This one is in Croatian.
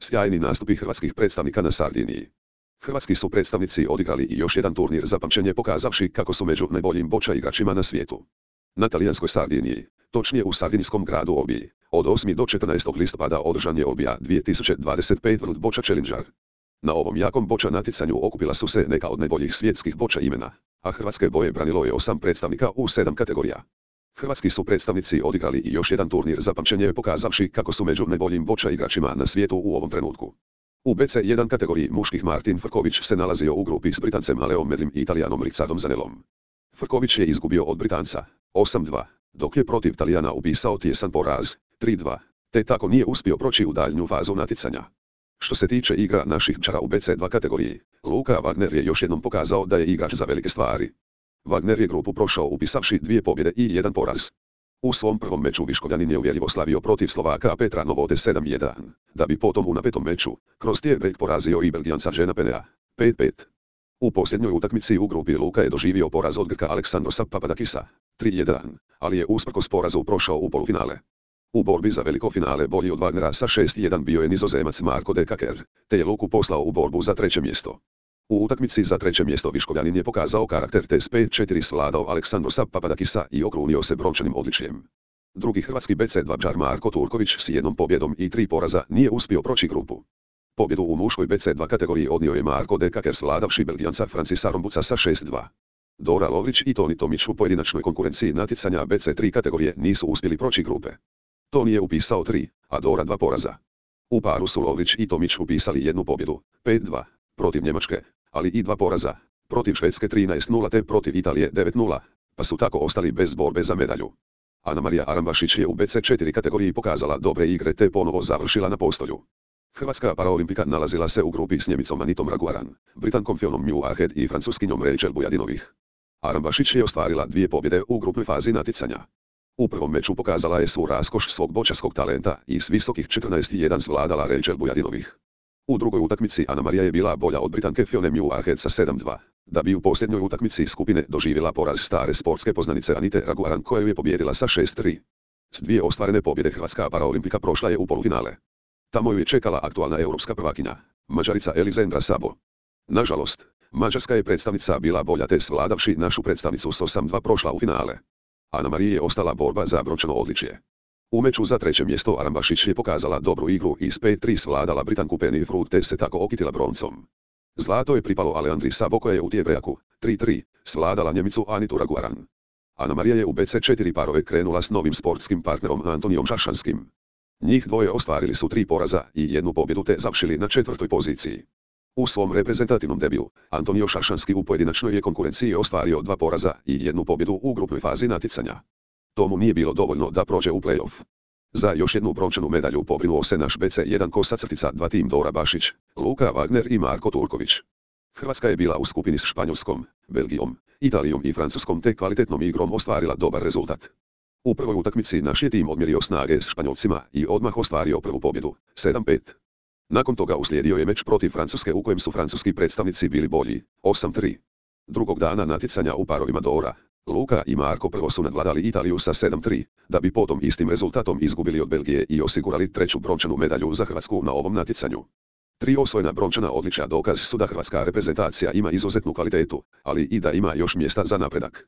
Sjajni nastupi hrvatskih predstavnika na Sardiniji. Hrvatski su predstavnici odigrali i još jedan turnir za pamćenje pokazavši kako su među najboljim boča igračima na svijetu. Na talijanskoj Sardiniji, točnije u sardinijskom gradu Olbiji, od 8. do 14. listopada održan je Olbija 2025 World Boča Challenger. Na ovom jakom boča natjecanju okupila su se neka od najboljih svjetskih boča imena, a hrvatske boje branilo je 8 predstavnika u 7 kategorija. Hrvatski su predstavnici odigrali i još jedan turnir za pamćenje pokazavši kako su među najboljim boča igračima na svijetu u ovom trenutku. U BC1 kategoriji muških Martin Frković se nalazio u grupi s Britancem Aleom Medlim i Italijanom Richardom Zanellom. Frković je izgubio od Britanca 8-2, dok je protiv Talijana upisao tjesan poraz 3-2, te tako nije uspio proći u daljnju fazu natjecanja. Što se tiče igra naših pčara u BC2 kategoriji, Luka Wagner je još jednom pokazao da je igrač za velike stvari. Wagner je grupu prošao upisavši 2 pobjede i 1 poraz. U svom prvom meču Viškovljanin je uvjerljivo slavio protiv Slovaka Petra Novode 7-1, da bi potom u napetom meču kroz tie-break porazio i Belgijanca Jeana Penea 5-5. U posljednjoj utakmici u grupi Luka je doživio poraz od Grka Aleksandrosa Papadakisa 3-1, ali je usprkos porazu prošao u polufinale. U borbi za veliko finale bolji od Wagnera sa 6-1 bio je Nizozemac Marko de Kaker, te je Luku poslao u borbu za treće mjesto. U utakmici za treće mjesto Viškovljanin je pokazao karakter te s 5-4 svladao Aleksandrosa Papadakisa i okrunio se brončanim odličjem. Drugi hrvatski BC2 pčar Marko Turković s 1 pobjedom i 3 poraza nije uspio proći grupu. Pobjedu u muškoj BC2 kategoriji odnio je Marko de Kaker svladavši Belgijanca Francisa Rombuca sa 6-2. Dora Lovrić i Toni Tomić u pojedinačnoj konkurenciji natjecanja BC3 kategorije nisu uspjeli proći grupe. Toni je upisao 3, a Dora 2 poraza. U paru su Lovrić i Tomić upisali 1 pobjedu, 5-2, protiv Njemačke, ali i 2 poraza, protiv Švedske 13-0 te protiv Italije 9-0, pa su tako ostali bez borbe za medalju. Anamarija Arambašić je u BC4 kategoriji pokazala dobre igre te ponovo završila na postolju. Hrvatska paraolimpika nalazila se u grupi s Njemicom Anitom Raguaran, Britankom Fionom Newharhead i Francuskinjom Rachel Bujadinovih. Arambašić je ostvarila 2 pobjede u grupnoj fazi natjecanja. U prvom meču pokazala je svu raskoš svog bočarskog talenta i s visokih 14-1 svladala Rachel Bujadinovih. U drugoj utakmici Anamarija je bila bolja od Britanke Fione Newharhead sa 7-2, da bi u posljednjoj utakmici skupine doživjela poraz stare sportske poznanice Anite Raguaran koju je pobijedila sa 6-3. S 2 ostvarene pobjede Hrvatska paraolimpika prošla je u polufinale. Tamo ju je čekala aktualna europska prvakinja, Mađarica Elizendra Sabo. Nažalost, mađarska je predstavnica bila bolja te svladavši našu predstavnicu s 8-2 prošla u finale. Anamariji je ostala borba za brončano odličje. U meču za treće mjesto Arambašić je pokazala dobru igru i s 5-3 svladala Britanku Penny Fruit te se tako okitila broncom. Zlato je pripalo Aleandri Sabo koja je u tie-breaku 3-3 svladala Njemicu Anitu Raguaran. Anamarija je u BC4 parove krenula s novim sportskim partnerom Antonijom Šaršanskim. Njih dvoje ostvarili su 3 poraza i 1 pobjedu te završili na 4. poziciji. U svom reprezentativnom debiju, Antonio Šaršanski u pojedinačnoj je konkurenciji ostvario 2 poraza i 1 pobjedu u grupnoj fazi natjecanja. To mu nije bilo dovoljno da prođe u play-off. Za još jednu brončanu medalju pobrinuo se naš BC1 kosa-2 tim Dora Bašić, Luka Wagner i Marko Turković. Hrvatska je bila u skupini s Španjolskom, Belgijom, Italijom i Francuskom te kvalitetnom igrom ostvarila dobar rezultat. U prvoj utakmici naš je tim odmjerio snage s Španjolcima i odmah ostvario prvu pobjedu, 7-5. Nakon toga uslijedio je meč protiv Francuske u kojem su francuski predstavnici bili bolji, 8-3. Drugog dana natjecanja u parovima Dora, Luka i Marko prvo su nadvladali Italiju sa 7-3, da bi potom istim rezultatom izgubili od Belgije i osigurali treću brončanu medalju za Hrvatsku na ovom natjecanju. 3 osvojena brončana odličja dokaz su da hrvatska reprezentacija ima izuzetnu kvalitetu, ali i da ima još mjesta za napredak.